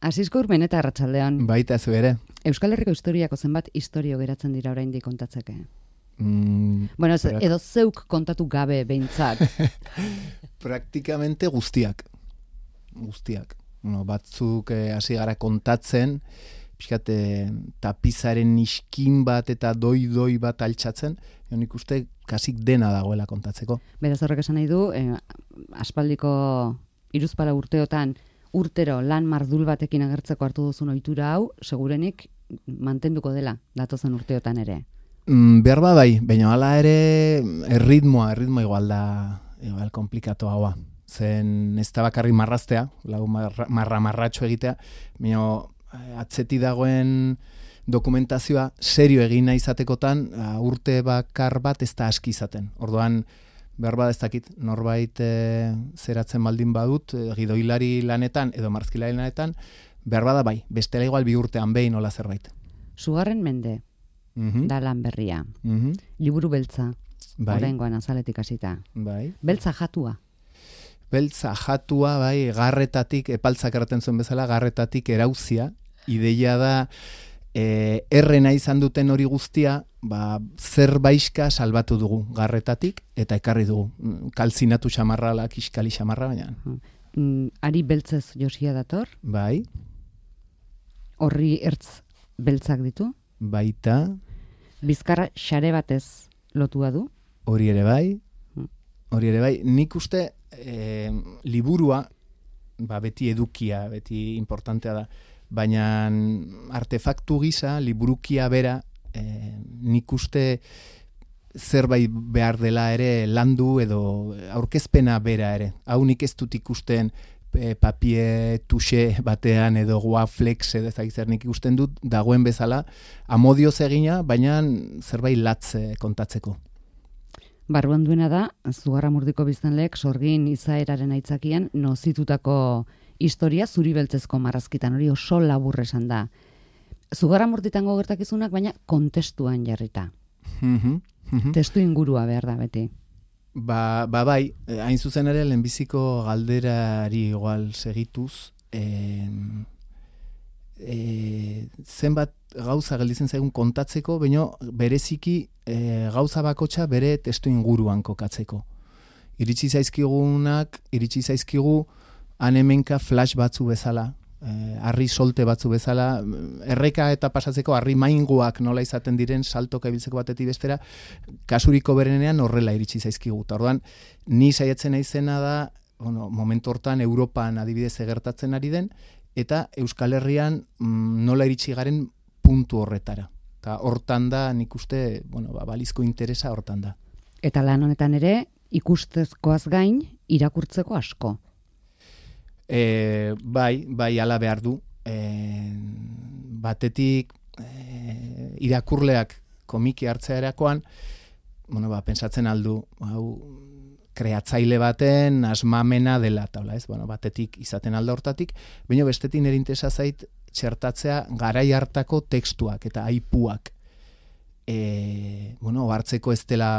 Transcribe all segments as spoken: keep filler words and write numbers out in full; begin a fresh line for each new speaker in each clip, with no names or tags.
Asisko Urmen eta Arratsaldean.
Baita zu ere.
Euskal Herriko historiako zenbat istorio geratzen dira oraindik kontatzeke?
Mm,
bueno, ez,
berak...
edo zeuk kontatu gabe behintzat.
Praktikamente guztiak. Guztiak. Bueno, batzuk hasi eh, gara kontatzen, pixkat eh, tapizaren iskin bat eta doi-doi bat altxatzen, jo nik uste kasik dena dagoela kontatzeko.
Beraz horrek esan nahi du, eh, aspaldiko hiruzpalau urteotan urtero lan mardul batekin agertzeko hartu duzun ohitura hau, segurenik mantenduko dela datozen urteotan ere.
Mm, behar ba bai, baina hala ere erritmoa, erritmoa igual da, igual komplikatu haua. Zen ez da bakarri marraztea, lau marra, marra marratxo egitea, baina atzeti dagoen dokumentazioa serio egin nahi izatekotan urte bakar bat ez da aski izaten. Orduan, behar bat ez dakit, norbait e, zeratzen baldin badut, e, gidoilari lanetan edo marrazkilari lanetan, behar bada bai, bestela igual bi urtean behin nola zerbait.
Sugarren mende,
mm-hmm.
da lan berria.
Mm-hmm.
Liburu beltza,
bai.
Oraingoan azaletik hasita.
Bai.
Beltza jatua.
Beltza jatua, bai, garretatik, epaltzak erraten zuen bezala, garretatik erauzia, ideia da, e, errena izan duten hori guztia, ba, zer baiska salbatu dugu garretatik, eta ekarri dugu. Kalzinatu xamarra, kiskali xamarra, baina.
Mm, ari beltzez josia dator?
Bai.
Horri ertz beltzak ditu?
Baita.
Bizkarra xare batez lotua du?
Hori ere bai. Hori ere bai. Nik uste e, liburua, ba, beti edukia, beti importantea da, baina artefaktu gisa, liburukia bera, e, nik uste zerbait behar dela ere landu edo aurkezpena bera ere. Hau nik ez dut ikusten e, papie tuxe batean edo guaflex edo ezagitzer nik ikusten dut dagoen bezala amodioz egina, baina zerbait latz kontatzeko.
Barruan duena da, Zugarramurdiko biztanleek sorgin izaeraren aitzakian nozitutako historia zuri beltzezko marrazkitan, hori oso labur esan da. Zugarramurditango gertakizunak, baina kontestuan jarrita.
Mm-hmm. Mm-hmm.
Testu ingurua behar da beti.
Ba, ba bai, hain zuzen ere lehenbiziko galderari igual segituz, eh, eh, zenbat gauza gelditzen zaigun kontatzeko, baina bereziki e, gauza bakotxa bere testu inguruan kokatzeko. Iritsi zaizkigunak, iritsi zaizkigu anemenka flash batzu bezala, e, harri solte batzu bezala, erreka eta pasatzeko harri mainguak nola izaten diren saltoka ibiltzeko batetik bestera, kasuriko berenean horrela iritsi zaizkigu. Ta orduan, ni saiatzen naizena da, bueno, momentu hortan Europan adibidez egertatzen ari den, eta Euskal Herrian mm, nola iritsi garen puntu horretara. Eta hortan da, nik uste, bueno, ba, balizko interesa hortan da.
Eta lan honetan ere, ikustezkoaz gain, irakurtzeko asko.
E, bai, bai, ala behar du. E, batetik, e, irakurleak komiki hartzea erakoan, bueno, ba, pensatzen aldu, hau, kreatzaile baten asmamena dela, taula, ez? Bueno, batetik izaten alda hortatik, baina bestetik nire interesa zait txertatzea garai hartako tekstuak eta aipuak. E, bueno, hartzeko ez dela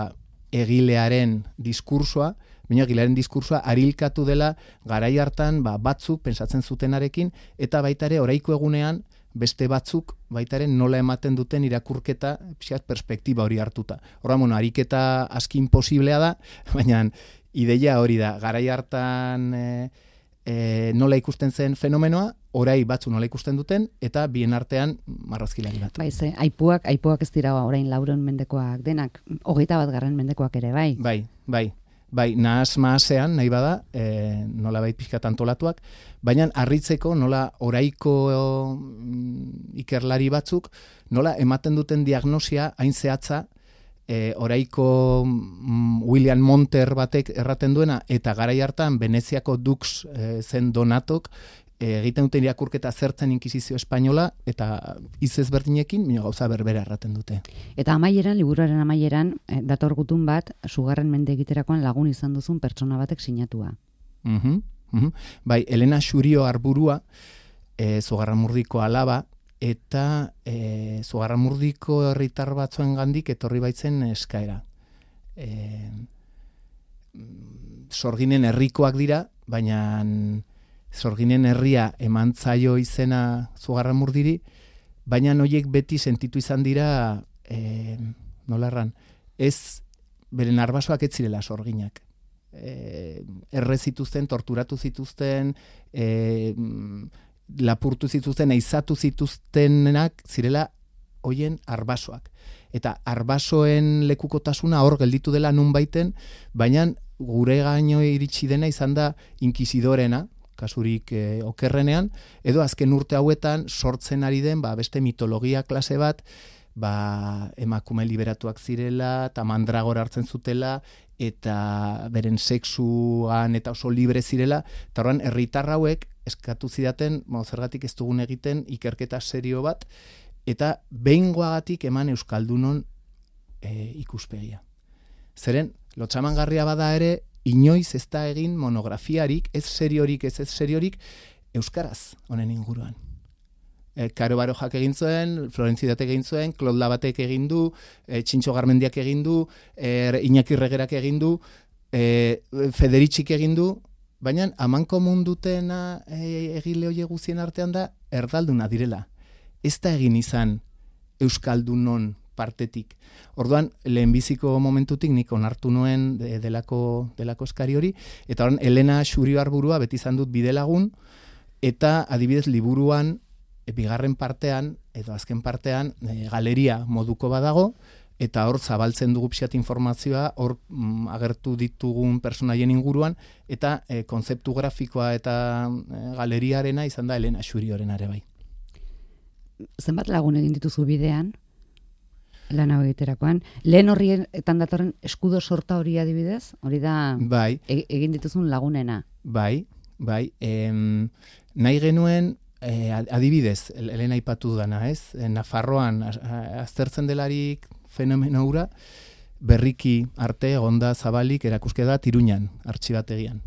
egilearen diskursoa, baina egilearen diskursoa arilkatu dela garai hartan ba, batzuk pensatzen zutenarekin, eta baita ere oraiko egunean beste batzuk baitaren nola ematen duten irakurketa pixkat perspektiba hori hartuta. Horra, bueno, ariketa aski imposiblea da, baina ideia hori da, garai hartan e, e, nola ikusten zen fenomenoa, orai batzu nola ikusten duten, eta bien artean marrazkilari bat.
Bai, ze, aipuak, aipuak ez dira orain lauron mendekoak denak, hogeita bat garren mendekoak ere, bai?
Bai, bai. Bai, nahaz maasean, nahi bada, e, nola bai pixkat antolatuak, baina harritzeko nola oraiko mm, ikerlari batzuk, nola ematen duten diagnosia hain zehatza, e, oraiko mm, William Monter batek erraten duena, eta garai hartan Veneziako Dux e, zen Donatok, e, egiten duten irakurketa zertzen inkisizio espainola, eta hitz ezberdinekin, baina gauza berbera erraten dute.
Eta amaieran, liburuaren amaieran, eh, dator gutun bat, Sugarren mende egiterakoan lagun izan duzun pertsona batek sinatua.
Mhm. Mm-hmm. Bai, Elena Xurio Arburua, e, Zugarramurdiko alaba, eta e, Zugarramurdiko herritar batzuen gandik etorri baitzen eskaera. E, sorginen herrikoak dira, baina Sorginen herria eman zaio izena Zugarramurdiri, baina noiek beti sentitu izan dira, e, nola erran, ez beren arbasoak ez zirela sorginak. E, erre zituzten, torturatu zituzten, e, lapurtu zituzten, eizatu zituztenak zirela hoien arbasoak. Eta arbasoen lekukotasuna hor gelditu dela nun baiten, baina gure gaino iritsi dena izan da inkizidorena, kasurik e, okerrenean, edo azken urte hauetan sortzen ari den ba, beste mitologia klase bat, ba, emakume liberatuak zirela, eta mandragora hartzen zutela, eta beren sexuan eta oso libre zirela, eta horren herritar hauek eskatu zidaten, mo, zergatik ez dugun egiten ikerketa serio bat, eta behingoagatik eman euskaldunon e, ikuspegia. Zeren, lotxamangarria bada ere, inoiz ez da egin monografiarik, ez seriorik, ez ez seriorik, euskaraz honen inguruan. E, Karo Barojak egin zuen, Florentzidatek egin zuen, Claude Labatek egin du, e, Txintxo Garmendiak egin du, e, Iñaki Regerak egin du, e, Federitxik egin du, baina amankomun dutena e, egile hoie guzien artean da, erdalduna direla. Ez da egin izan euskaldunon partetik. Orduan, lehenbiziko momentutik nik onartu nuen de, delako, delako eskari hori, eta orain Elena Xurioarburua beti izan dut bidelagun, eta adibidez liburuan, e, bigarren partean, edo azken partean, e, galeria moduko badago, eta hor zabaltzen dugu pixat informazioa, hor mm, agertu ditugun personaien inguruan, eta e, konzeptu grafikoa eta e, galeriarena izan da Elena Xurioren ere bai.
Zenbat lagun egin dituzu bidean? Lan hau egiterakoan. Lehen horrietan datorren eskudo sorta hori adibidez? Hori da
bai.
e, egin dituzun lagunena.
Bai, bai. Em, nahi genuen, e, adibidez, Elena aipatu dana, ez? Nafarroan aztertzen delarik fenomeno hura, berriki arte, egonda zabalik, erakuskeda Iruñan, artxibategian.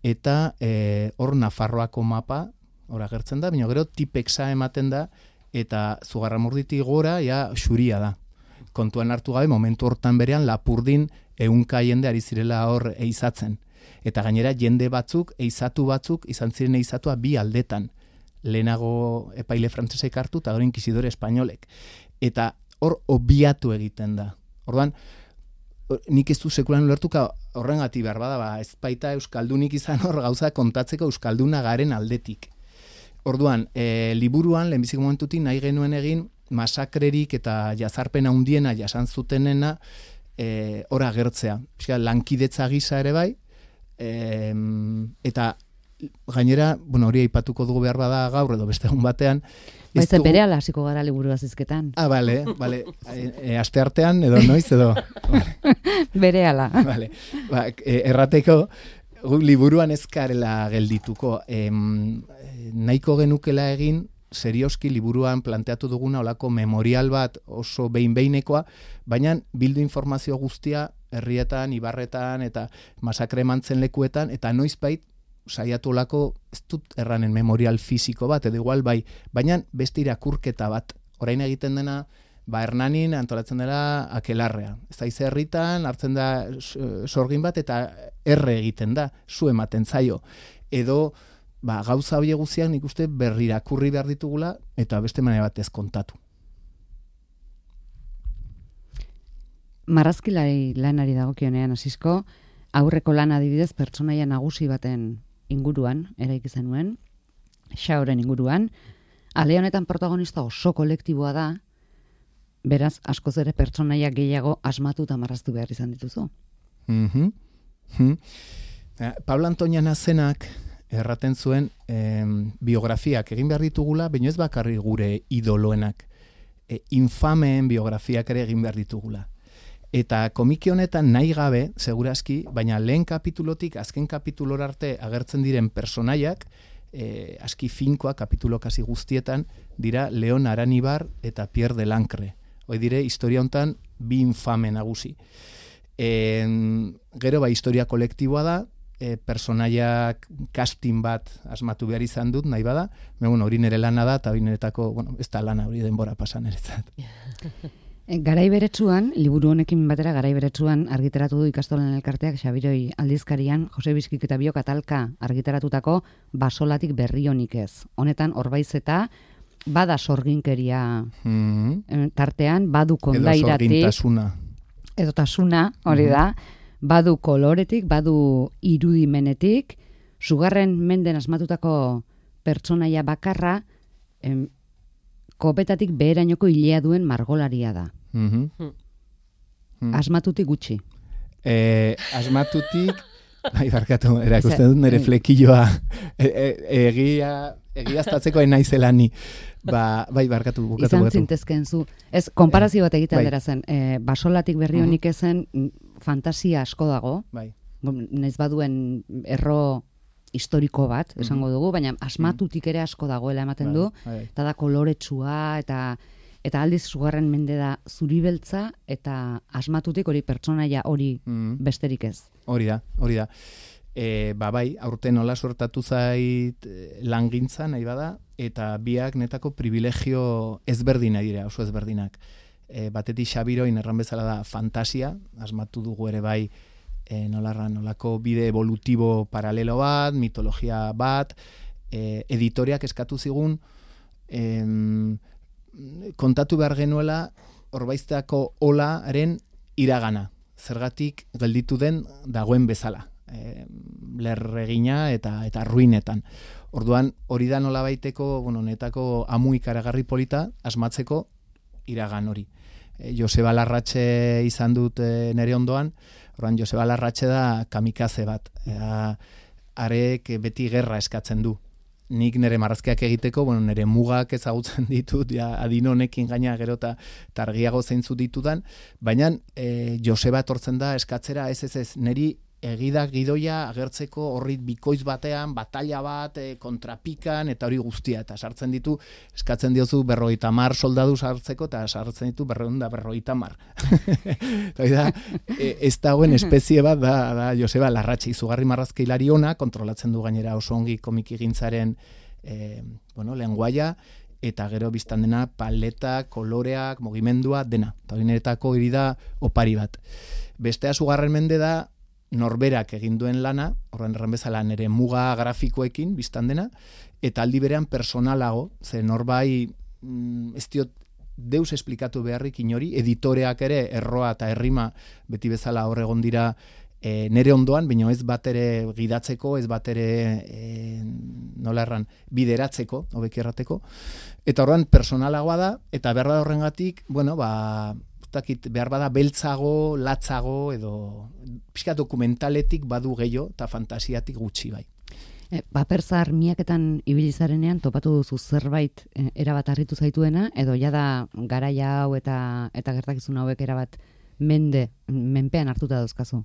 Eta e, hor Nafarroako mapa, hor agertzen da, baina gero tipexa ematen da, eta Zugarramurditik gora, ja, xuria da. Kontuan hartu gabe, momentu hortan berean, Lapurdin ehunka jende ari zirela hor eizatzen. Eta gainera, jende batzuk, eizatu batzuk, izan ziren eizatua bi aldetan. Lehenago epaile frantzesek hartu, eta gero inkizidore espainolek. Eta hor obiatu egiten da. Orduan, nik ez du sekulan ulertuka horrengati behar bada, ba, ez baita euskaldunik izan hor gauza kontatzeko euskalduna garen aldetik. Orduan, e, liburuan, lehenbiziko momentutik nahi genuen egin, masakrerik eta jazarpen handiena jasan zutenena e, hor agertzea. Piska, lankidetza gisa ere bai, e, eta gainera, bueno, hori aipatuko dugu behar bada gaur edo beste egun batean.
Baiz dugu... bere ala hasiko gara liburu azizketan.
Ah, bale, bale. E, e, aste artean edo noiz edo. Vale.
Bere ala.
Vale. Ba, e, errateko, liburuan ezkarela geldituko. Em, nahiko genukela egin, serioski liburuan planteatu duguna olako memorial bat oso behin-behinekoa, baina bildu informazio guztia herrietan, ibarretan eta masakre mantzen lekuetan, eta noizbait saiatu olako, ez dut erranen memorial fisiko bat, edo igual bai, baina beste irakurketa bat. Orain egiten dena, ba Hernanin antolatzen dela Akelarrea. Ez da ize herritan, hartzen da sorgin bat, eta erre egiten da, zu ematen zaio. Edo, ba, gauza hori guztiak nik uste berrirakurri behar ditugula, eta beste manera batez kontatu.
Marrazkilari lanari dagokionean hasizko, aurreko lan adibidez pertsonaia nagusi baten inguruan, eraiki zenuen, Xaoren inguruan, ale honetan protagonista oso kolektiboa da, beraz, askoz ere pertsonaia gehiago asmatu eta marraztu behar izan dituzu.
Mm-hmm. Mm-hmm. Pablo Antonia Nazenak erraten zuen em, biografiak egin behar ditugula, baina ez bakarri gure idoloenak, e, infameen biografiak ere egin behar ditugula. Eta komiki honetan nahi gabe, segurazki, baina lehen kapitulotik azken kapitulor arte agertzen diren personaiak, e, aski finkoa kapitulo kasi guztietan, dira Leon Aranibar eta Pierre Delancre. Hoi dire, historia hontan bi infame nagusi. E, gero, ba, historia kolektiboa da, e, personaiak casting bat asmatu behar izan dut, nahi bada, bueno, hori nire lana da, eta hori niretako, bueno, ez da lana hori denbora pasan eretzat.
Garai beretsuan, liburu honekin batera garai beretsuan argitaratu du ikastolan elkarteak Xabiroi aldizkarian Jose Bizkik eta Biok atalka argitaratutako Basolatik berri honik ez. Honetan Orbaizeta bada sorginkeria mm-hmm. tartean, badu kondairatik. Edo sorgintasuna. Edo tasuna, hori da. Mm-hmm. Badu koloretik, badu irudimenetik, sugarren menden asmatutako pertsonaia bakarra, em, kopetatik beherainoko hilea duen margolaria da. Mm-hmm. Mm. Asmatutik gutxi.
Eh, asmatutik, bai, barkatu, erakusten dut nire flekilloa e, e, egia, egiaztatzeko naizela ni. Ba, bai, barkatu, bukatu,
Izan
bukatu.
zintezken zu. Ez, konparazio bat egitea
bai.
dira zen. E, Basolatik berri honik ezen fantasia asko dago.
Bai.
Naiz baduen erro historiko bat, esango dugu, baina asmatutik ere asko dagoela ematen du, eta da koloretsua, eta eta aldiz sugarren mende da zuribeltza, eta asmatutik hori pertsonaia hori besterik ez.
Hori da, hori da. E, ba bai, aurten nola sortatu zait langintza nahi bada, eta biak netako privilegio ezberdina dira, oso ezberdinak. E, batetik Xabiroin erran bezala da fantasia, asmatu dugu ere bai, E, nolarra, nolako bide evolutibo paralelo bat, mitologia bat, e, editoriak eskatu zigun, em, kontatu behar genuela Orbaiztako olaren iragana, zergatik gelditu den dagoen bezala, e, lerregina eta eta ruinetan. Orduan, hori da nola baiteko, bueno, netako amu ikaragarri polita asmatzeko iragan hori. E, Joseba Larratxe izan dut e, nere ondoan, Orduan, Joseba Larratxe da kamikaze bat. Ea, arek beti gerra eskatzen du. Nik nire marrazkiak egiteko, bueno, nire mugak ezagutzen ditut, ja, adin honekin gaina gero eta argiago zeintzu ditudan, baina e, Joseba etortzen da eskatzera, ez ez ez, niri egidak gidoia agertzeko horrit bikoiz batean, batalla bat, e, kontrapikan, eta hori guztia, eta sartzen ditu, eskatzen diozu berrogeita mar soldadu sartzeko, eta sartzen ditu berreunda berrogeita mar. da, e, ez dagoen espezie bat da, da Joseba Larratxe, izugarri marrazkeilari ona, kontrolatzen du gainera oso ongi komiki gintzaren e, bueno, lenguaia, eta gero biztan dena paleta, koloreak, mugimendua, dena. Eta hori niretako hiri da opari bat. Bestea sugarren mende da, norberak egin duen lana, horren erran bezala nere muga grafikoekin biztan dena, eta aldi berean personalago, ze norbai mm, ez diot deus esplikatu beharrik inori, editoreak ere erroa eta errima beti bezala hor egon dira e, nere ondoan, baina ez bat ere gidatzeko, ez bat ere e, nola erran, bideratzeko, hobeki errateko, eta horren personalagoa da, eta behar da horrengatik, bueno, ba, behar bada beltzago, latzago, edo pixka dokumentaletik badu gehiago eta fantasiatik gutxi bai.
E, Paperzar miaketan ibilizarenean topatu duzu zerbait e, erabat harritu zaituena, edo jada garaia hau eta eta gertakizun hauek erabat mende, menpean hartuta dauzkazu?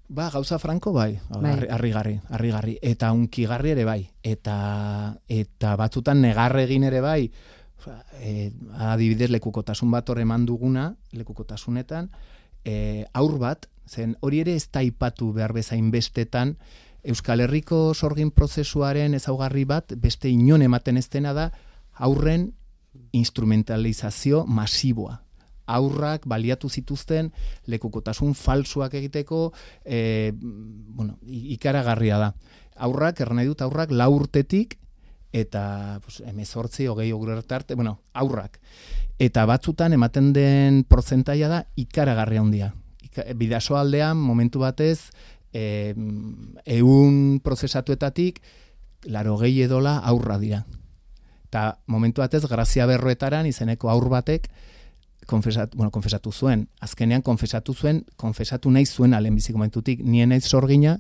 Ba, gauza franko bai,
bai.
harrigarri, harrigarri, eta unkigarri ere bai, eta eta batzutan negarre egin ere bai, E, adibidez lekukotasun bat hor eman duguna, lekukotasunetan, e, aur bat, zen hori ere ez da aipatu behar bezain bestetan, Euskal Herriko sorgin prozesuaren ezaugarri bat, beste inon ematen ez dena da, aurren instrumentalizazio masiboa. Aurrak baliatu zituzten lekukotasun falsuak egiteko, e, bueno, ikaragarria da. Aurrak, erran nahi dut, aurrak lau urtetik, eta pues, emezortzi, hogei arte, bueno, aurrak. Eta batzutan ematen den portzentaia da ikaragarria handia. Ika, bidaso aldean, momentu batez, e, eun prozesatuetatik, laro gehi edola aurra dira. Eta momentu batez, Grazia Berroetaran izeneko aur batek, konfesat, bueno, konfesatu zuen, azkenean konfesatu zuen, konfesatu nahi zuen alenbiziko momentutik, nien naiz sorgina,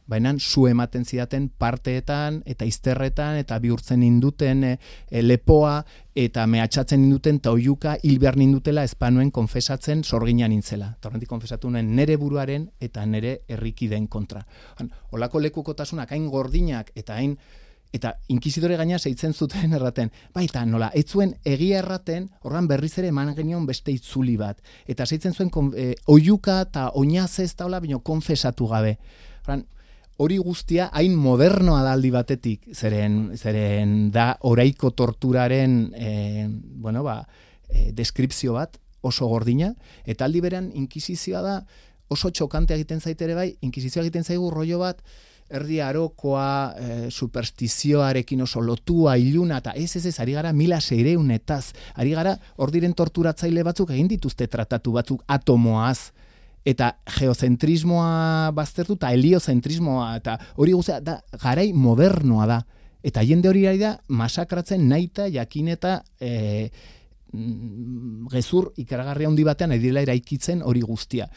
baina zu ematen zidaten parteetan eta izterretan eta bihurtzen induten e, e, lepoa eta mehatxatzen induten eta oiuka hil behar nindutela espanuen konfesatzen sorgina nintzela. Eta horrentik konfesatu nuen nere buruaren eta nere herrikideen kontra. Olako lekukotasunak hain gordinak eta hain eta inkizidore gaina zeitzen zuten erraten. Baita nola, ez zuen egia erraten, horran berriz ere eman genion beste itzuli bat. Eta zeitzen zuen e, oiuka eta oinazez eta hola, baina konfesatu gabe. Horran, hori guztia hain modernoa da aldi batetik, zeren, zeren da oraiko torturaren e, bueno, ba, e, deskripzio bat, oso gordina, eta aldi berean inkisizioa da oso txokante egiten zaitere bai, inkisizioa egiten zaigu rollo bat, erdi arokoa, e, superstizioarekin oso lotua, iluna, eta ez ez ez, ari gara mila seireunetaz, ari gara hor diren torturatzaile batzuk egin dituzte tratatu batzuk atomoaz, eta geozentrismoa baztertu, eta heliozentrismoa, eta hori guztia da, garai modernoa da, eta jende hori ari da, masakratzen naita, jakin eta e, gezur ikaragarria handi batean edila eraikitzen hori guztia.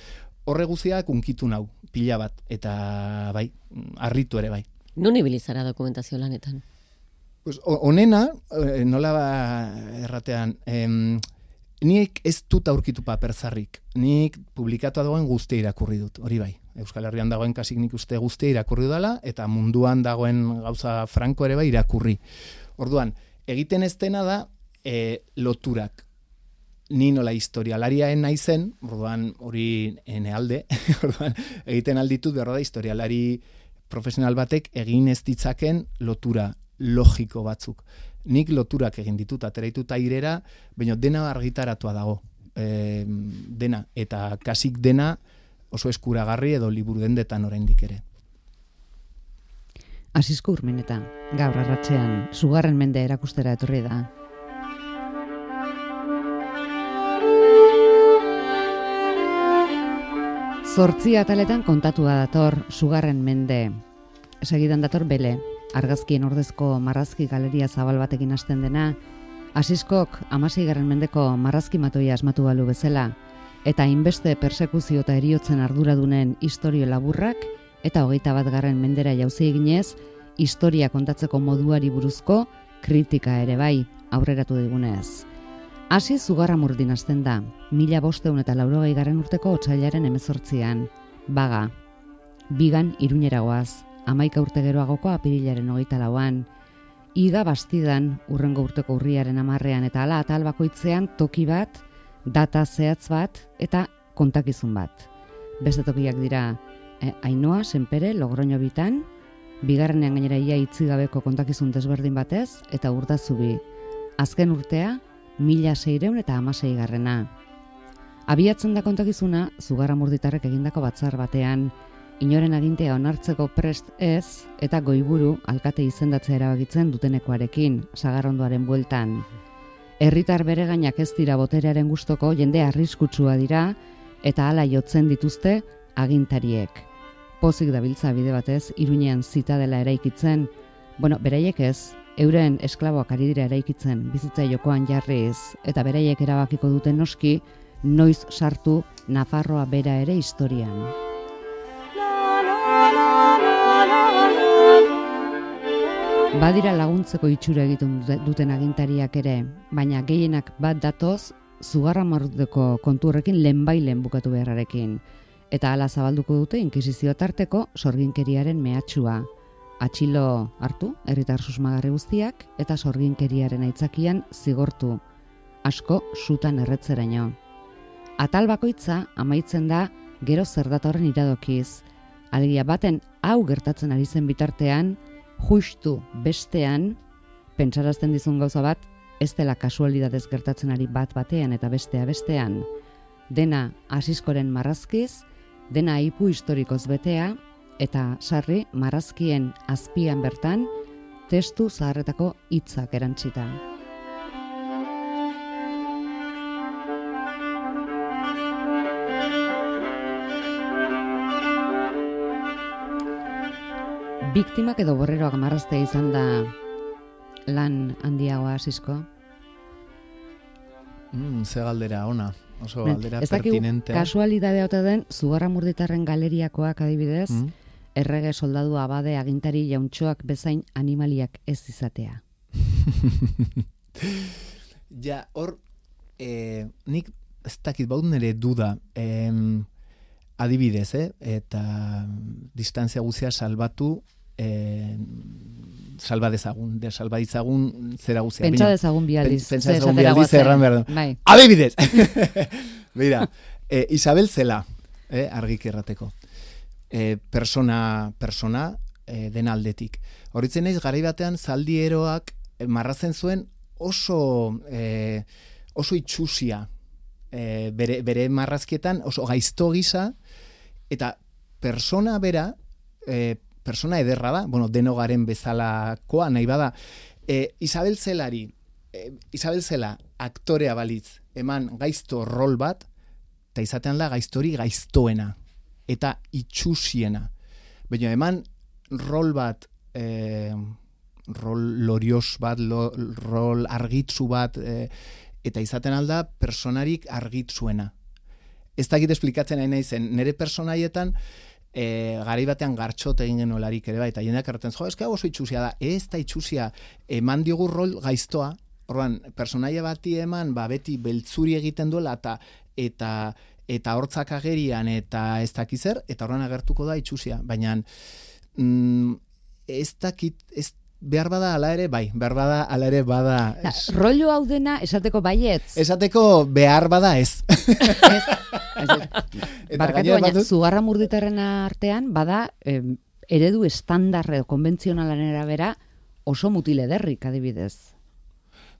Horre guztiak unkitu nau, pila bat, eta bai, harritu ere bai.
Non ibili zara dokumentazio lanetan?
Pues, onena, nola ba erratean, em, nik ez dut aurkitu paper zarrik, nik publikatu dagoen guztia irakurri dut, hori bai. Euskal Herrian dagoen kasik nik uste guztia irakurri dela, eta munduan dagoen gauza franko ere bai irakurri. Orduan, egiten ez dena da e, loturak. Ni nola historialariaen naizen, orduan hori ene alde, orduan egiten alditut berro da historialari profesional batek egin ez ditzaken lotura logiko batzuk. Nik loturak egin ditut, ateraitut airera, baina dena argitaratua dago. E, dena, eta kasik dena oso eskuragarri edo liburu dendetan oraindik ere.
Asisko Urmeneta, gaur arratsean, Sugarren mende erakustera etorri da. Zortzi ataletan kontatua dator Sugarren mende. Segidan dator Bele, argazkien ordezko marrazki galeria zabal batekin hasten dena, Asiskok hamaseigarren mendeko marrazki matoia asmatu balu bezala, eta hainbeste persekuzio eta heriotzen arduradunen istorio laburrak, eta hogeita bat garren mendera jauzi eginez, historia kontatzeko moduari buruzko kritika ere bai, aurreratu digunez. Hasi Zugarramurdin hasten da, mila bosteun eta laurogei garren urteko otsailaren hemezortzian, baga. Bigan Iruñeragoaz, hamaika urte geroagoko apirilaren hogeita lauan, iga Bastidan urrengo urteko urriaren hamarrean eta hala atal bakoitzean toki bat, data zehatz bat eta kontakizun bat. Beste tokiak dira eh, Ainoa, Senpere, Logroño bitan, bigarrenean gainera ia itzigabeko kontakizun desberdin batez eta Urdazubi. Azken urtea, mila seireun eta hamasei garrena. Abiatzen da kontakizuna, Zugarramurditarrek egindako batzar batean, inoren agintea onartzeko prest ez, eta goiburu alkate izendatzea erabakitzen dutenekoarekin, sagarrondoaren bueltan. Herritar beregainak ez dira boterearen gustoko, jende arriskutsua dira, eta hala jotzen dituzte agintariek. Pozik dabiltza bide batez, Iruñean zitadela eraikitzen, bueno, beraiek ez, euren esklaboak ari dira eraikitzen, bizitza jokoan jarriz, eta beraiek erabakiko duten noski, noiz sartu Nafarroa bera ere historian. Badira laguntzeko itxura egiten duten agintariak ere, baina gehienak bat datoz Zugarramurdeko kontu horrekin lehenbailen bukatu beharrarekin, eta hala zabalduko dute inkisizio tarteko sorginkeriaren mehatxua. Atxilo hartu, herritar susmagarri guztiak, eta sorginkeriaren aitzakian zigortu, asko sutan erretzeraino. Atal bakoitza amaitzen da gero zer datorren iradokiz. Alegia baten hau gertatzen ari zen bitartean, justu bestean, pentsarazten dizun gauza bat, ez dela kasualidadez gertatzen ari bat batean eta bestea bestean. Dena Asiskoren marrazkiz, dena aipu historikoz betea, eta sarri marrazkien azpian bertan testu zaharretako hitzak erantsita. Biktimak edo borreroak marraztea izan da lan handiagoa Asisko?
Mm, ze galdera ona, oso galdera
ez
pertinente.
Kasualidadea ote den, Zugarramurditarren galeriakoak adibidez, mm. errege soldadu abade agintari jauntxoak bezain animaliak ez izatea.
Ja, hor, eh, nik ez dakit baut nire duda, eh, adibidez, eh, eta distantzia guzia salbatu, eh, salba dezagun, de salba ditzagun zera guzia.
Pentsa dezagun bialdiz.
Pentsa dezagun bialdiz erran behar du.
Bai.
Adibidez! Mira, eh, Isabel Zela, eh, argik errateko. E, persona, persona e, den aldetik. Horitzen naiz garai batean zaldieroak e, marrazen zuen oso e, oso itxusia e, bere, bere marrazkietan oso gaizto gisa, eta persona bera, e, persona ederra da, bueno, denogaren bezalakoa nahi bada, e, Isabel Zelari, e, Isabel Zela aktorea balitz, eman gaizto rol bat, eta izatean da gaiztori gaiztoena, eta itxusiena. Baina eman rol bat, e, rol lorios bat, lo, rol argitzu bat, e, eta izaten alda personarik argitzuena. Ez dakit esplikatzen nahi naizen, nire personaietan, e, garai batean gartxot egin genuelarik ere bai, eta jendeak erraten, jo, eska oso itxusia da, ez da itxusia, eman digu rol gaiztoa, orduan, personaia bati eman, ba, beti beltzuri egiten duela, eta eta eta hortzak agerian, eta ez dakizer, eta orduan agertuko da itxusia, baina mm, ez dakit, ez behar bada ala ere, bai, behar bada ala ere bada.
Da, rollo hau dena esateko baietz.
Esateko behar bada ez.
Ez, barkatu, baina batut... Zugarra Murditarren artean, bada, eh, eredu estandar edo konbentzionalaren arabera oso mutile derrik, adibidez.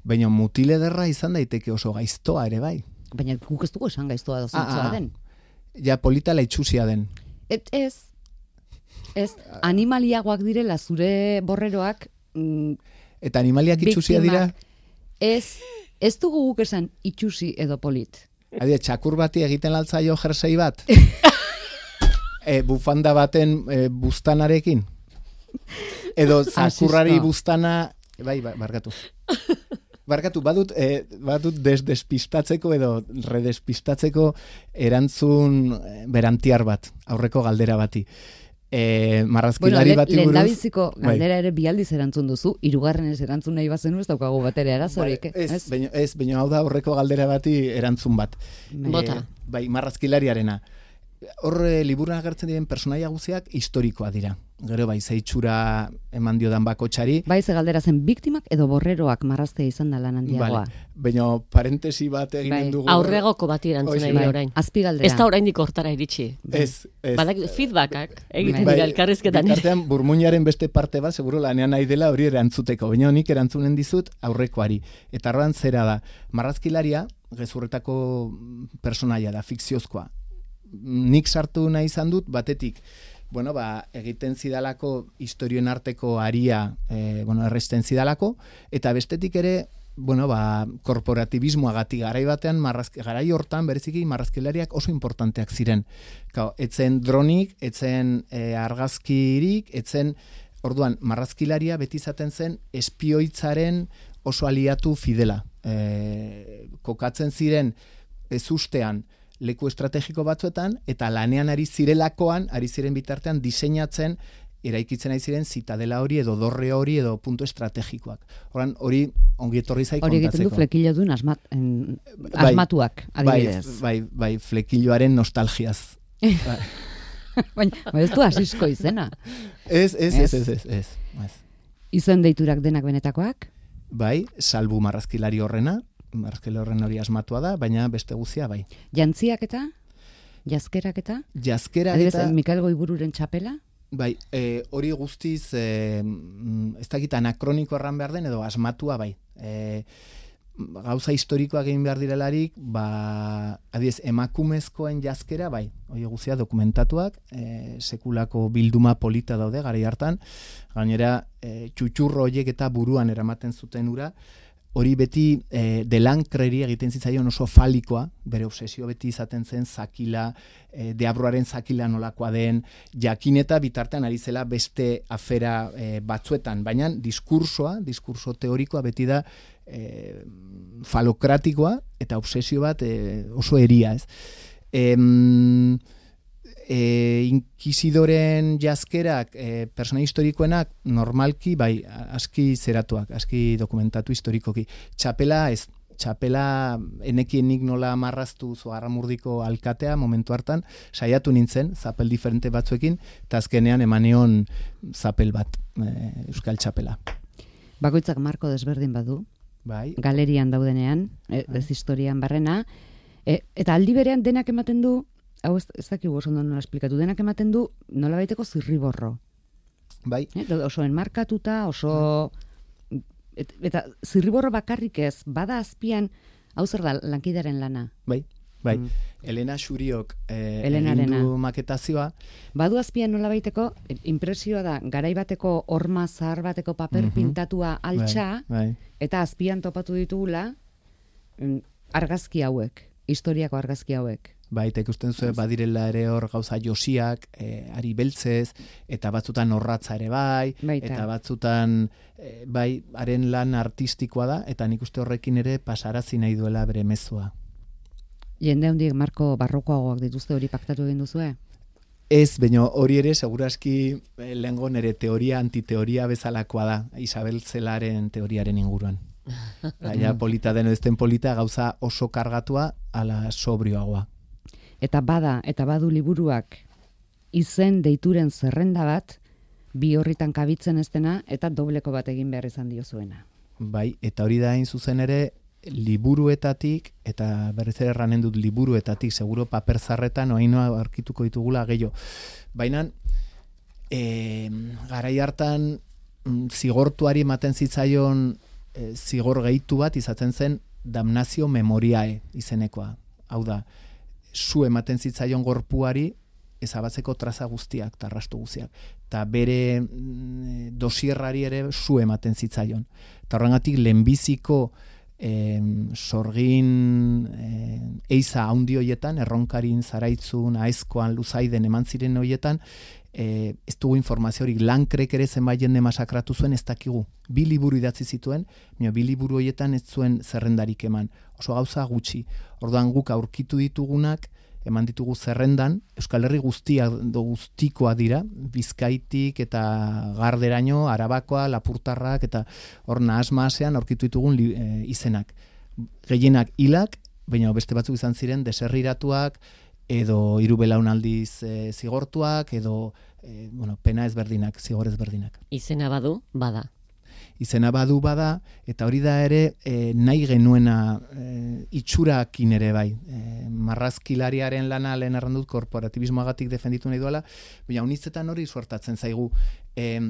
Baina mutile derra izan daiteke oso gaiztoa ere bai.
Baina guk ez dugu esan gaiztoa da zintzoa den.
Ja, polita laitxusia den.
Et, ez, ez, animaliagoak direla zure borreroak. Mm,
Eta animaliak itxusia dira?
Ez, ez dugu guk esan itxusi edo polit.
Adie, txakur bati egiten altzaio jersei bat? e, bufanda baten e, bustanarekin? Edo zakurrari bustana... Bai, barkatu. Barkatu, badut, eh, badut desdespistatzeko edo redespistatzeko erantzun berantiar bat, aurreko galdera bati. E, marrazkilari
bueno,
bati buruz...
Lehen dabiziko galdera bai. Ere bialdiz erantzun duzu, hirugarren ez erantzun nahi bazenu ez daukagu bat ere arazorik.
Bai, ez, ez? Baino, ez, baino hau da aurreko galdera bati erantzun bat.
Bota.
E, bai, marrazkilariarena. Hor e, liburuan agertzen diren personaia guztiak historikoa dira. Gero bai, zeitxura eman diodan bakotxari.
Bai, ze galdera zen biktimak edo borreroak marraztea izan da lan handiagoa.
Vale. Baina parentesi bat eginen bai. Dugu.
Aurregoko bati erantzun nahi bai. Orain.
Azpi galdera.
Ez da oraindik hortara iritsi.
Bai. Ez, ez.
Badak feedbackak egiten bai. Dira elkarrizketan.
Bitartean burmuinaren beste parte bat, seguro lanean nahi dela hori erantzuteko. Baina honik erantzunen dizut aurrekoari. Eta arroan zera da, marrazkilaria, gezurretako personaia da, fikziozkoa. Nik sartu nahi izan dut, batetik, bueno, ba, egiten zidalako historioen arteko aria, e, bueno, erresten zidalako, eta bestetik ere, bueno, ba, korporatibismoagatik garai batean, marrazk, garai hortan, bereziki marrazkilariak oso importanteak ziren. Kao, etzen dronik, etzen e, argazkirik, etzen, orduan, marrazkilaria beti izaten zen espioitzaren oso aliatu fidela. E, kokatzen ziren ez ustean, leku estrategiko batzuetan, eta lanean ari zirelakoan, ari ziren bitartean diseinatzen, eraikitzen ari ziren zitadela hori edo dorre hori edo puntu estrategikoak. Horan, hori ongi etorri zai kontatzeko. Hori egiten du
flekillo duen asmat, en, asmatuak, adibidez.
Bai, bai, bai, flekilloaren nostalgiaz.
Baina, ez du asizko izena.
Ez, ez, ez, ez, ez, ez, ez.
Izen deiturak denak benetakoak?
Bai, salbu marrazkilari horrena, marrazkilari horren hori asmatua da, baina beste guzia bai.
Jantziak eta? Jazkerak eta?
Jazkerak
eta? Adibidez, Mikael Goibururen txapela?
Bai, e, hori guztiz, e, ez dakit anakroniko erran behar den, edo asmatua bai. E, gauza historikoak egin behar direlarik, ba, adiez, emakumezkoen jazkera, bai, hori guztia dokumentatuak, e, sekulako bilduma polita daude, garai hartan, gainera, e, txutxurro horiek eta buruan eramaten zuten ura, hori beti e, delankreri egiten zitzaion oso falikoa, bere obsesio beti izaten zen zakila, e, deabruaren zakila nolakoa den, jakin eta bitartean ari zela beste afera e, batzuetan, baina diskursoa, diskurso teorikoa beti da e, falokratikoa eta obsesio bat e, oso eria, ez? E, E, inkisidoren jazkerak, e, persona historikoenak, normalki, bai, aski zeratuak, aski dokumentatu historikoki. Txapela, ez, txapela enekienik nola marraztu Zugarramurdiko alkatea momentu hartan, saiatu nintzen, zapel diferente batzuekin, eta azkenean emaneon zapel bat, e, euskal txapela.
Bakoitzak marko desberdin badu,
bai.
Galerian daudenean, ez bai. Historian barrena, e, eta aldi berean denak ematen du, hau ez, ez dakigu oso nola esplikatu, denak ematen du nola baiteko zirriborro.
Bai.
Eh? Oso enmarkatuta, oso... Et, eta zirriborro bakarrik ez, bada azpian, hau zer da, lankidaren lana.
Bai. Bai, mm. Elena Xuriok eh,
Elenarena.
egin du maketazioa.
Badu azpian nola baiteko, impresioa da, garai bateko orma zahar bateko paper
Mhm.
pintatua altxa,
Bai, bai.
eta azpian topatu ditugula mm, argazki hauek, historiako argazki hauek.
Bai, eta ikusten zuen badirela ere hor gauza josiak, eh, ari beltzez, eta batzutan horratza ere bai,
Baita.
eta batzutan eh, bai, haren lan artistikoa da, eta nik uste horrekin ere pasarazi nahi duela bere mezua.
Jende handiek marko barrokoagoak dituzte hori paktatu egin duzue?
Ez, baina hori ere seguraski eh, lehengo nere teoria antiteoria bezalakoa da, Isabel Zelaren teoriaren inguruan. Baina polita den ez den polita gauza oso kargatua ala sobrioagoa.
Eta bada, eta badu liburuak izen deituren zerrenda bat, bi horritan kabitzen ez dena, eta dobleko bat egin behar izan diozuena.
Bai, eta hori da hain zuzen ere liburuetatik, eta berriz ere erranen dut liburuetatik, seguro paper zarretan oainoa aurkituko ditugula gehiago. Baina, e, garai hartan mm, zigortuari ematen zitzaion e, zigor gehitu bat izaten zen damnazio memoriae izenekoa. Hau da, zu ematen zitzaion gorpuari ezabatzeko traza guztiak, tarrastu guztiak. Eta bere mm, dosierrari ere zu ematen zitzaion. Eta horrengatik lehenbiziko eh, sorgin eh, eiza haundi hoietan, erronkarin, zaraitzun, aezkoan, luzaiden eman ziren hoietan, eh, ez dugu informaziorik, Lankrek ere zenbait jende masakratu zuen, ez dakigu. Bi liburu idatzi zituen, baina bi liburu hoietan ez zuen zerrendarik eman. Oso gauza gutxi. Orduan guk aurkitu ditugunak, eman ditugu zerrendan, Euskal Herri guztia do guztikoa dira, Bizkaitik eta Garderaino, Arabakoa, Lapurtarrak eta hor nahasmasean aurkitu ditugun li, e, izenak. Gehienak hilak, baina beste batzuk izan ziren deserriratuak, edo hiru belaunaldiz e, zigortuak, edo e, bueno, pena ezberdinak, zigor ezberdinak.
Izena badu, bada.
Izena badu bada, eta hori da ere e, nahi genuena e, itxurakin ere bai. E, marrazkilariaren lana lehen errandut korporatibismoagatik defenditu nahi duela, baina unitzetan hori suertatzen zaigu. E,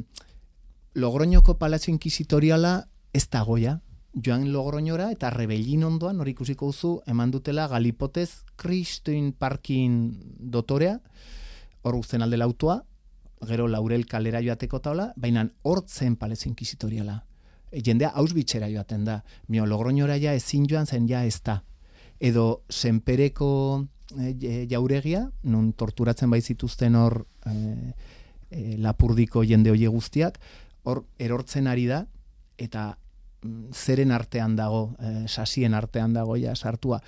Logroñoko Palazio Inquisitoriala ez dagoia, joan Logroñora eta Rebellin ondoan hori ikusiko duzu eman dutela Galipotez Kristoin Parkin dotorea, hor guzten alde lautoa, gero Laurel kalera joateko taula, baina hortzen Palazio Inquisitoriala. E, jendea Auschwitzera joaten da. Mio Logroñora ja ezin joan zen ja ez da. Edo Senpereko e, jauregia, nun torturatzen bai zituzten hor e, e, Lapurdiko jende hoie guztiak, hor erortzen ari da, eta mm, zeren artean dago, e, sasien artean dago ja sartua.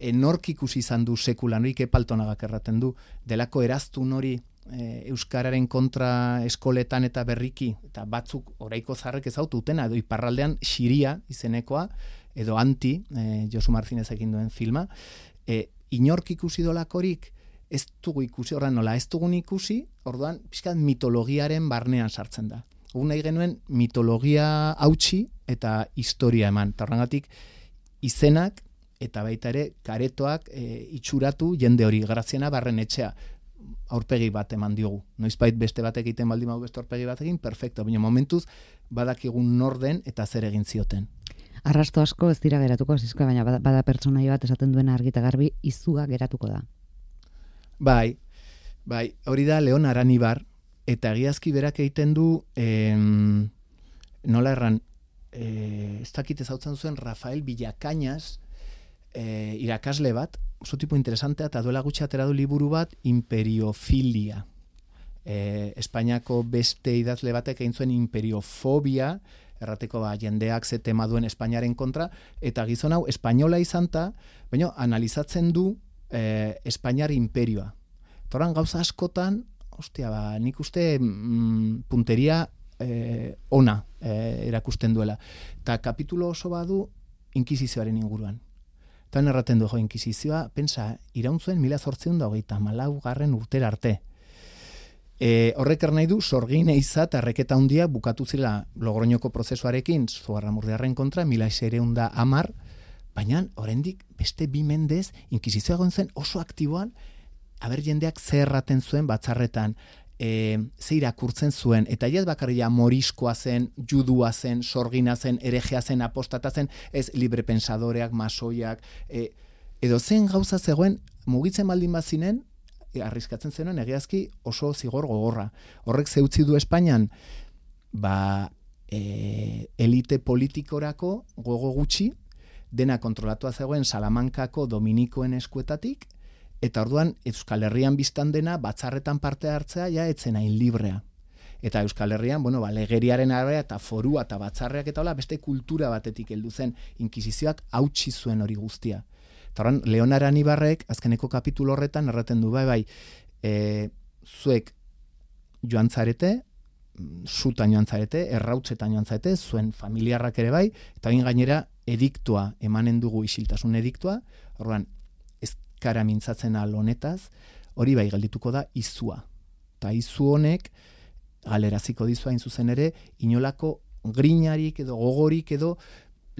E, nork ikusi izan du sekulan, hori Kepaltonagak erraten du, delako eraztun hori E, euskararen kontra eskoletan eta berriki, eta batzuk oraiko zarrek ezautu utena, edo iparraldean Xiria izenekoa, edo Anti, e, Josu Martinez egin duen filma, e, inork ikusi dolakorik, ez dugu ikusi, horren nola, ez dugun ikusi, orduan, pixkat mitologiaren barnean sartzen da. Gu nahi genuen mitologia hautsi eta historia eman, eta horrengatik izenak eta baita ere karetoak e, itxuratu jende hori, Graziana Barrenetxea, aurpegi bat eman diogu. Noizbait beste batek egiten baldin badu beste aurpegi bat egin, perfecto, baina momentuz badakigun norden eta zer egin zioten.
Arrasto asko ez dira geratuko, zizko, baina bada, bada pertsonaia bat esaten duena argi eta garbi, izuga geratuko da.
Bai, bai, hori da Leon Aranibar, eta egiazki berak egiten du, em, nola erran, e, ez dakit ezautzen zuen Rafael Villakañas, e, irakasle bat, oso tipo interesantea, eta duela gutxi atera du liburu bat, Imperiofilia. E, Espainiako beste idazle batek egin zuen imperiofobia, errateko ba, jendeak ze tema duen Espainiaren kontra, eta gizon hau espainola izanta, baina analizatzen du e, Espainiar imperioa. Toran gauza askotan, ostia, ba, nik uste mm, punteria e, ona e, erakusten duela. Eta kapitulo oso badu inkisizioaren inguruan. Eta erraten du, jo, inkisizioa, pensa, irauntzuen mila zortziehun da hogeita hamalau garren urtera arte. E, horrek nahi du, sorgin eiza eta erreketa handia bukatu zila Logroñoko prozesuarekin, Zugarramurdiarren kontra, mila seiehun da hamar, baina oraindik beste bi mendez, inkisizioa egon zen oso aktiboan, aber jendeak zer erraten zuen batzarretan, e, ze irakurtzen zuen, eta ez bakarria moriskoa zen, judua zen, sorgina zen, erejea zen, apostata zen, ez librepensadoreak, masoiak, e, edo zen gauza zegoen, mugitzen baldin bazinen, arriskatzen zenuen egiazki oso zigor gogorra. Horrek zeutzi du Espainian, ba, e, elite politikorako gogo gutxi, dena kontrolatua zegoen Salamankako Dominikoen eskuetatik, eta orduan Euskal Herrian biztan dena batzarretan parte hartzea ja etzen hain librea. Eta Euskal Herrian, bueno, ba, legeriaren arabera eta forua eta batzarreak eta hola beste kultura batetik heldu zen, inkisizioak hautsi zuen hori guztia. Eta horren, Leonara Nibarrek, azkeneko kapitulo horretan, erraten du, bai, bai, e, zuek joan zarete, sutan joan zarete, errautzetan joan zarete, zuen familiarrak ere bai, eta hain gainera ediktua, emanen dugu isiltasun ediktua, horren, ez kara mintzatzen al honetaz, hori bai geldituko da izua. Eta izu honek, galeraziko dizu hain zuzen ere, inolako grinarik edo gogorik edo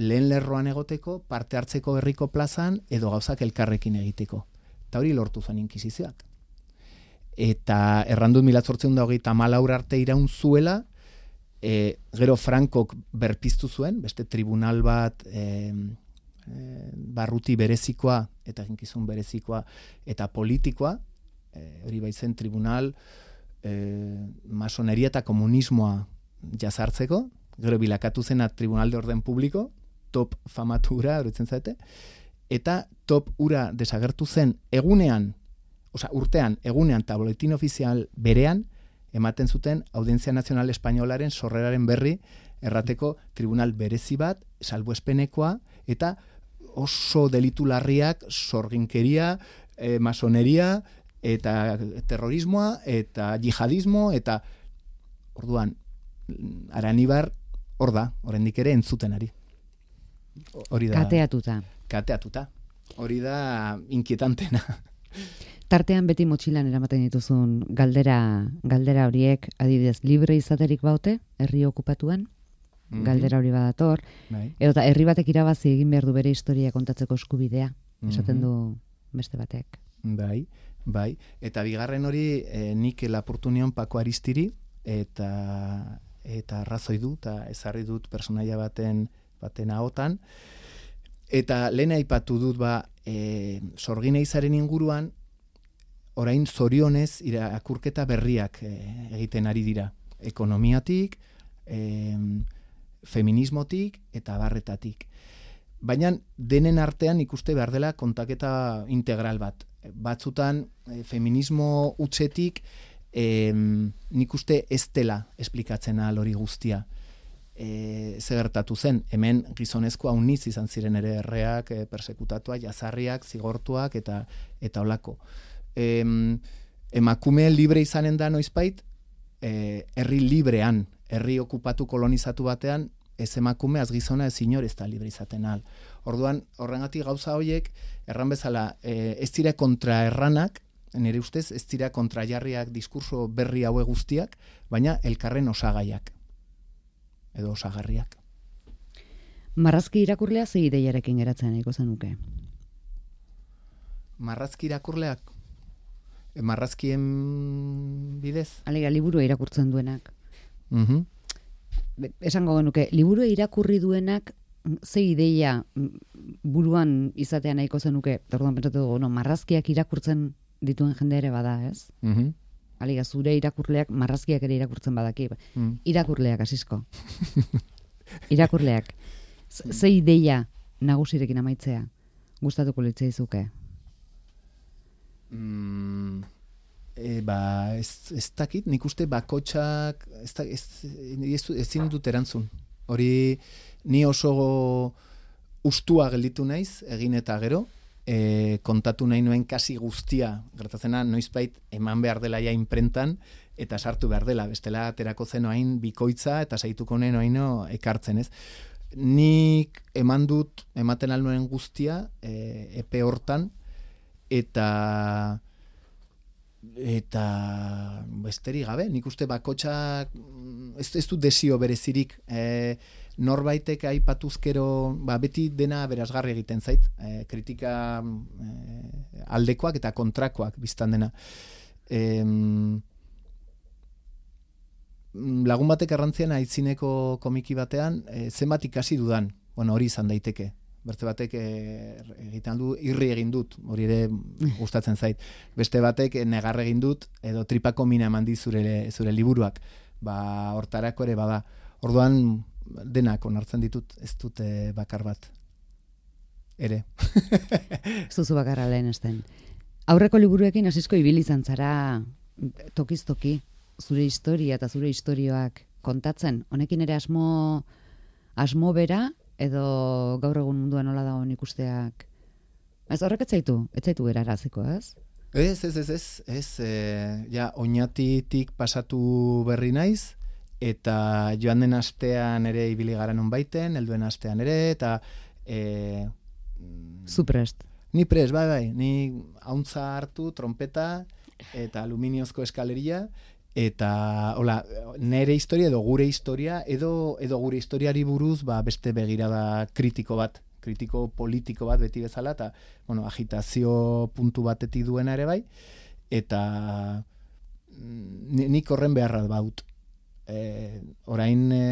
lehen lerroan egoteko, parte hartzeko herriko plazan, edo gauzak elkarrekin egiteko. Eta hori lortu zen inkisizioak. Eta errandut mila zortziehun eta hogeita hamalau arte iraun zuela, e, gero Frankok berpiztu zuen, beste tribunal bat e, e, barruti berezikoa, eta eginkizun berezikoa, eta politikoa, e, hori baitzen tribunal e, masoneria eta komunismoa jazartzeko, gero bilakatu zena tribunal de orden publiko, top famatura, horitzen zaite, eta top ura desagertu zen egunean, oza, urtean, egunean eta boletin ofizial berean, ematen zuten Audientzia Nazional Espainolaren sorreraren berri errateko tribunal berezi bat, salbuespenekoa, eta oso delitu larriak sorginkeria, eh, masoneria, eta terrorismoa, eta jihadismo, eta orduan, Aranibar hor da, oraindik ere entzuten ari. Hori da.
Kateatuta.
Kateatuta. Hori da inkietantena.
Tartean beti motxilan eramaten dituzun galdera, galdera horiek, adibidez, libre izaterik baute, herri okupatuan, mm-hmm. galdera hori badator, bai. Edo eta herri batek irabazi egin behar du bere historia kontatzeko eskubidea, esaten mm-hmm. du beste batek.
Bai, bai. Eta bigarren hori eh, nik lapurtu nion Pako Aristiri, eta eta arrazoi du, eta ezarri dut personaia baten baten ahotan, eta lehen aipatu dut ba, e, sorgin eizaren inguruan, orain zorionez irakurketa berriak e, egiten ari dira. Ekonomiatik, e, feminismotik eta barretatik. Baina denen artean ikuste behar dela kontaketa integral bat. Batzutan e, feminismo utzetik e, nik uste ez dela esplikatzen ahal hori guztia. E, ze gertatu zen, hemen gizonezko hauniz izan ziren ere erreak, e, persekutatua, jazarriak, zigortuak eta eta olako. E, emakume libre izanen da noizbait, e, herri librean, herri okupatu kolonizatu batean, ez emakume, az gizona, ez inor ez da libre izaten al. Orduan, horrengatik gauza horiek, erran bezala, e, ez dira kontra erranak, nire ustez, ez dira kontrajarriak diskurso berri haue guztiak, baina elkarren osagaiak. Edo osagarriak.
Marrazki irakurlea ze ideiarekin geratzen nahiko zenuke?
Marrazki irakurleak? E, marrazkien bidez?
Alega, liburu irakurtzen duenak.
Uh-huh.
Esango genuke, liburu irakurri duenak ze ideia buruan izatea nahiko zenuke? Orduan pentsatu dugu, no, marrazkiak irakurtzen dituen jende ere bada, ez?
Uh-huh.
Aliga, zure irakurleak, marrazkiak ere irakurtzen badaki. Mm. Irakurleak, asisko. Irakurleak. Ze ideia nagusirekin amaitzea? Gustatuko litzaizuke?
Mm, e, ba, ez, ez dakit, nik uste bakotxak, ez, ez, ez, ezin dut erantzun. Hori, ni oso ustua gelditu naiz, egin eta gero, E, kontatu nahi nuen kasi guztia, gertatzena noizbait eman behar dela ja inprentan eta sartu behar dela, bestela aterako zen hain bikoitza eta saituko nen haino ekartzen, ez? Nik eman dut, ematen alnuen guztia e, epe hortan eta eta besterik gabe, nik uste bakotxak ez, ez du desio berezirik e, norbaitek aipatuzkero, ba, beti dena berazgarri egiten zait, e, kritika e, aldekoak eta kontrakoak biztan dena. E, lagun batek errantzian aitzineko komiki batean, e, zenbat ikasi dudan, bueno, hori izan daiteke. Bertze batek e, egiten du, irri egin dut, hori ere gustatzen zait. Beste batek negar egin dut, edo tripako mina eman di zure, zure liburuak. Ba, hortarako ere bada. Orduan, denak onartzen ditut, ez dute bakar bat. Ere.
Zuzu bakarra lehen esten. Aurreko liburuekin hasizko ibili izan zara tokiz-toki, zure historia eta zure istorioak kontatzen. Honekin ere asmo, asmo bera, edo gaur egun munduan nola dagoen ikusteak. Ez horrek etzaitu, etzaitu geraraziko, ez?
Ez, ez, ez, ez, ez, e, ja, oinatitik pasatu berri naiz, eta joan den astean ere ibili gara non baiten, helduen astean ere, eta... E,
Zu prest.
Ni prest, bai, bai, ni hauntza hartu, trompeta, eta aluminiozko eskaleria, eta hola, nere historia edo gure historia edo edo gure historiari buruz ba, beste begirada kritiko bat, kritiko politiko bat beti bezala, eta bueno, agitazio puntu batetik duena ere bai, eta nik horren beharra baut. E, orain e,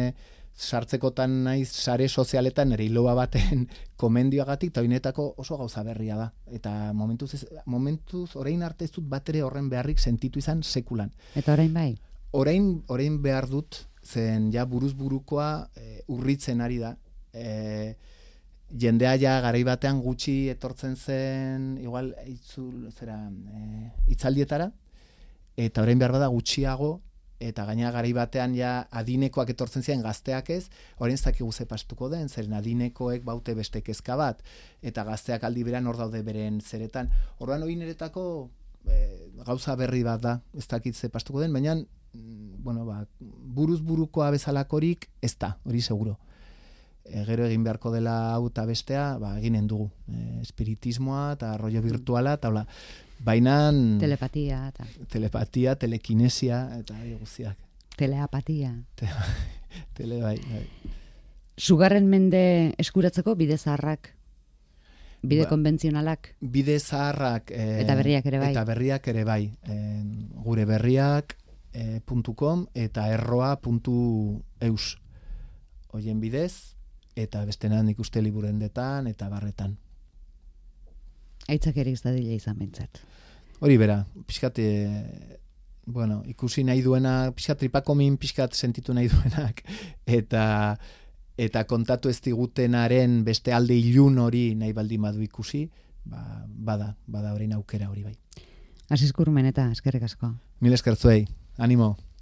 sartzekotan naiz sare sozialetan nire hiloa baten komendioagatik, eta oinetako oso gauza berria da. Eta momentuz, ez, momentuz orain arte ez dut bat ere horren beharrik sentitu izan sekulan.
Eta orain bai?
Orain, orain behar dut, zen ja buruz burukoa e, urritzen ari da. E, jendea ja garai batean gutxi etortzen zen, igual, itzul, zera, e, itzaldietara, eta orain behar bada gutxiago, eta gaina garai batean ja adinekoak etortzen ziren gazteak ez, orain ez dakigu ze pastuko den, zeren adinekoek baute beste kezka bat, eta gazteak aldi beran hor daude beren zeretan. Orduan hori niretako e, gauza berri bat da, ez dakit ze pastuko den, baina bueno, ba, buruz burukoa bezalakorik ez da, hori seguro. E, gero egin beharko dela hau eta bestea, ba, eginen dugu. E, espiritismoa eta rollo virtuala, eta hola, bainan...
Telepatia. Eta...
Telepatia, telekinesia, eta guztiak.
Teleapatia.
Te, tele, bai, bai.
Sugarren mende eskuratzeko bide zaharrak, bide ba, konbentzionalak.
Bide zaharrak... E,
eta berriak ere bai.
Eta berriak ere bai. E, gure berriak e, .com eta erroa puntu eus. Hoien bidez, eta bestenan ikuste liburendetan eta barretan.
Aitzak ere izadila izan bentsat.
Hori bera, pixkat, e, bueno, ikusi nahi duena, pixkat tripakomin pixkat sentitu nahi duenak, eta eta kontatu ez digutenaren beste alde ilun hori nahi baldin badu ikusi, ba, bada, bada orain aukera hori bai.
Asiz Kurmen eta eskerrik asko.
Mil eskertzuei, animo.